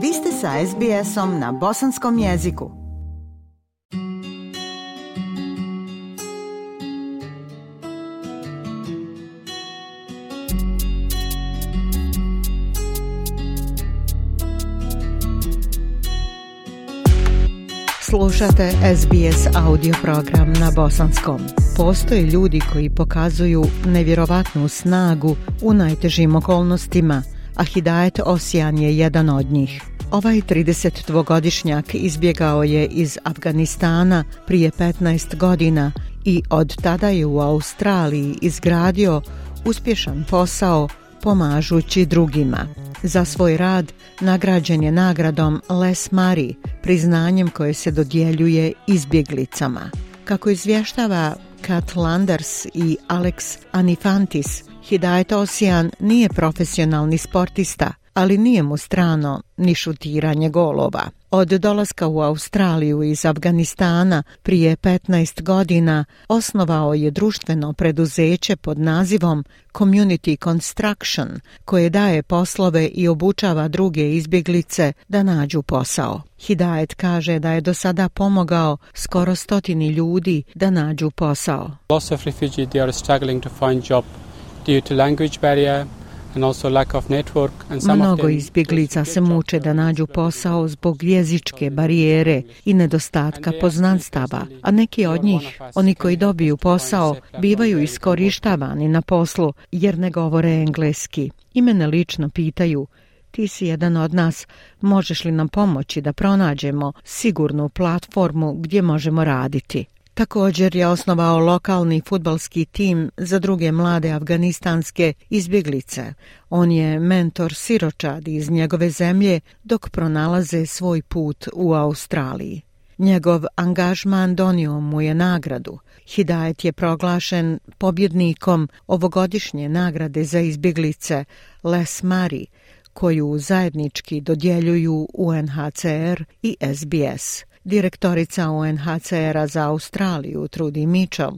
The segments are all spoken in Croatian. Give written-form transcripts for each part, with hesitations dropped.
Vi ste sa SBS-om na bosanskom jeziku. Slušate SBS audio program na bosanskom. Postoje ljudi koji pokazuju nevjerovatnu snagu u najtežim okolnostima, a Hidajet Osian je jedan od njih. Ovaj 32-godišnjak izbjegao je iz Afganistana prije 15 godina i od tada je u Australiji izgradio uspješan posao pomažući drugima. Za svoj rad nagrađen je nagradom Les Murray, priznanjem koje se dodjeljuje izbjeglicama. Kako izvještava Kat Landers i Alex Anifantis, Hidajet Osian nije profesionalni sportista, ali nije mu strano ni šutiranje golova. Od dolaska u Australiju iz Afganistana prije 15 godina osnovao je društveno preduzeće pod nazivom Community Construction, koje daje poslove i obučava druge izbjeglice da nađu posao. Hidajet kaže da je do sada pomogao skoro 100 ljudi da nađu posao. Lots of refugees they are struggling to find job due to language barrier. Mnogo izbjeglica se muče da nađu posao zbog jezičke barijere i nedostatka poznanstava, a neki od njih, oni koji dobiju posao, bivaju iskorištavani na poslu jer ne govore engleski. I mene lično pitaju: ti si jedan od nas, možeš li nam pomoći da pronađemo sigurnu platformu gdje možemo raditi? Također je osnovao lokalni fudbalski tim za druge mlade afganistanske izbjeglice. On je mentor siročadi iz njegove zemlje dok pronalaze svoj put u Australiji. Njegov angažman donio mu je nagradu. Hidajet je proglašen pobjednikom ovogodišnje nagrade za izbjeglice Les Murray, koju zajednički dodjeljuju UNHCR i SBS. Direktorica UNHCR-a za Australiju, Trudy Mitchell,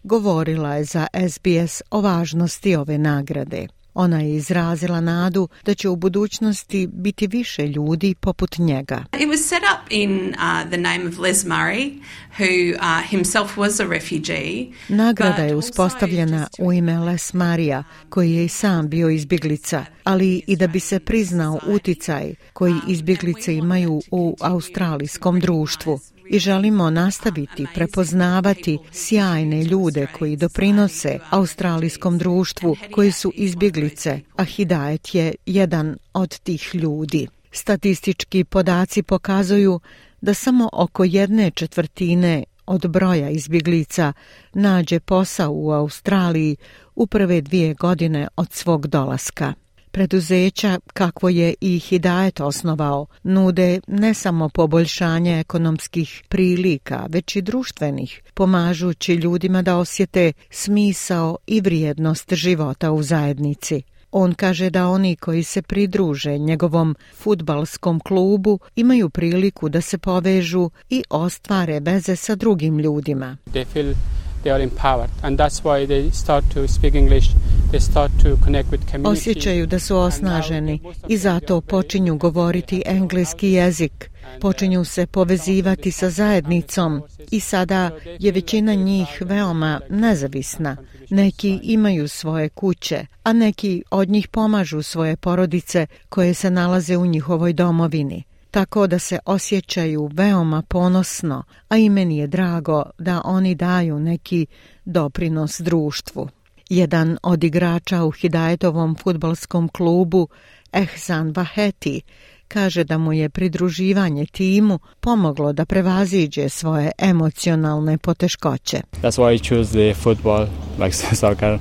govorila je za SBS o važnosti ove nagrade. Ona je izrazila nadu da će u budućnosti biti više ljudi poput njega. It was set up in the name of Les Murray, who himself was a refugee. Nagrada je uspostavljena u ime Les Murraya, koji je i sam bio izbjeglica, ali i da bi se priznao uticaj koji izbjeglice imaju u australijskom društvu. I želimo nastaviti prepoznavati sjajne ljude koji doprinose australijskom društvu, koji su izbjeglice, a Hidajet je jedan od tih ljudi. Statistički podaci pokazuju da samo oko 1/4 od broja izbjeglica nađe posao u Australiji u prve 2 godine od svog dolaska. Preduzeća, kakvo je i Hidajet osnovao, nude ne samo poboljšanje ekonomskih prilika, već i društvenih, pomažući ljudima da osjete smisao i vrijednost života u zajednici. On kaže da oni koji se pridruže njegovom fudbalskom klubu imaju priliku da se povežu i ostvare veze sa drugim ljudima. They are empowered and that's why they start to speak English. They start to connect with community. Osjećaju da su osnaženi i zato počinju govoriti engleski jezik. Počinju se povezivati sa zajednicom i sada je većina njih veoma nezavisna. Neki imaju svoje kuće, a neki od njih pomažu svoje porodice koje se nalaze u njihovoj domovini. Tako da se osjećaju veoma ponosno, a i meni je drago da oni daju neki doprinos društvu. Jedan od igrača u Hidajetovom fudbalskom klubu, Ehsan Vaheti, kaže da mu je pridruživanje timu pomoglo da prevaziđe svoje emocionalne poteškoće. That's why I choose the football, like soccer.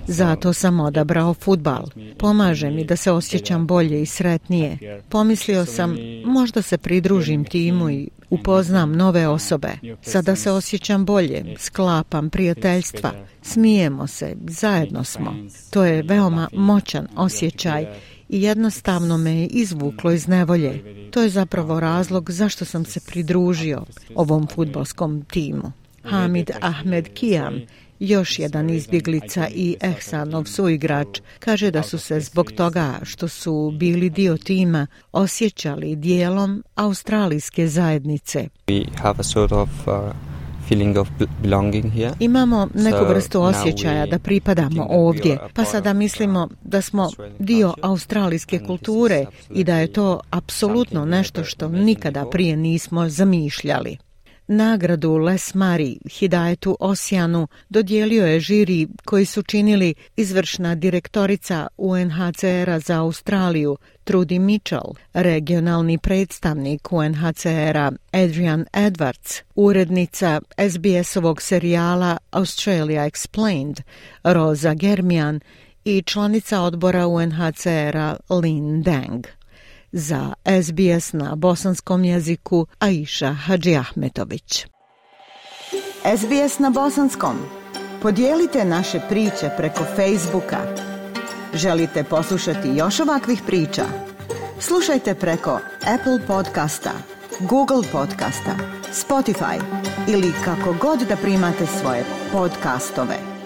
Zato sam odabrao fudbal. Pomaže mi da se osjećam bolje i sretnije. Pomislio sam, možda se pridružim timu i upoznam nove osobe. Sada se osjećam bolje, sklapam prijateljstva, smijemo se, zajedno smo. To je veoma moćan osjećaj i jednostavno me je izvuklo iz nevolje. To je zapravo razlog zašto sam se pridružio ovom fudbalskom timu. Hamid Ahmed Kiam Još jedan izbjeglica i Ehsanov suigrač kaže da su se zbog toga što su bili dio tima osjećali dijelom australijske zajednice. We have a sort of feeling of belonging here. Imamo neku vrstu osjećaja da pripadamo ovdje, pa sada mislimo da smo dio australijske kulture i da je to apsolutno nešto što nikada prije nismo zamišljali. Nagradu Les Mari Hidayetu Osijanu dodijelio je žiri koji su činili izvršna direktorica UNHCR-a za Australiju Trudy Mitchell, regionalni predstavnik UNHCR-a Adrian Edwards, urednica SBS-ovog serijala Australia Explained Rosa Germian i članica odbora UNHCR-a Lynn Deng. Za SBS na bosanskom jeziku Aisha Hadžiahmetović. SBS na bosanskom. Podijelite naše priče preko Facebooka. Želite poslušati još ovakvih priča? Slušajte preko Apple podcasta, Google podcasta, Spotify ili kako god da primate svoje podcastove.